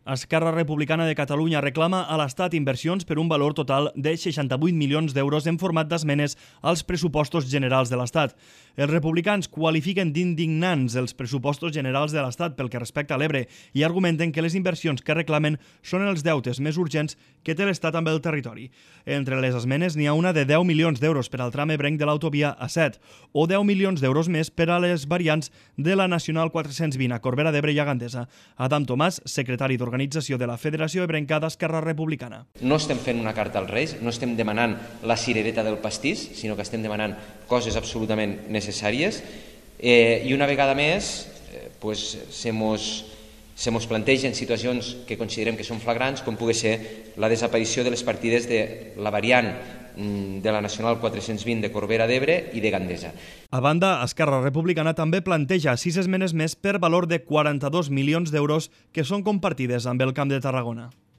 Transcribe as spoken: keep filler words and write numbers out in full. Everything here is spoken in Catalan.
Esquerra Republicana de Catalunya reclama a l'Estat inversions per un valor total de seixanta-vuit milions d'euros en format d'esmenes als pressupostos generals de l'Estat. Els republicans qualifiquen d'indignants els pressupostos generals de l'Estat pel que respecta a l'Ebre i argumenten que les inversions que reclamen són els deutes més urgents que té l'Estat amb el territori. Entre les esmenes n'hi ha una de deu milions d'euros per al tram ebrenc de l'autovia A set o deu milions d'euros més per a les variants de la Nacional quatre-cents vint a Corbera d'Ebre i a Gandesa. Adam Tomàs, secretari d'Organització de la Federació Ebrenca d'Esquerra Republicana. No estem fent una carta als Reis, no estem demanant la cirereta del pastís, sinó que estem demanant coses absolutament necessàries eh, i una vegada més eh, pues, se mos, se mos plantegen situacions que considerem que són flagrants, com pugui ser la desaparició de les partides de la variant de la Nacional quatre-cents vint de Corbera d'Ebre i de Gandesa. A banda, Esquerra Republicana també planteja sis esmenes més per valor de quaranta-dos milions d'euros que són compartides amb el Camp de Tarragona.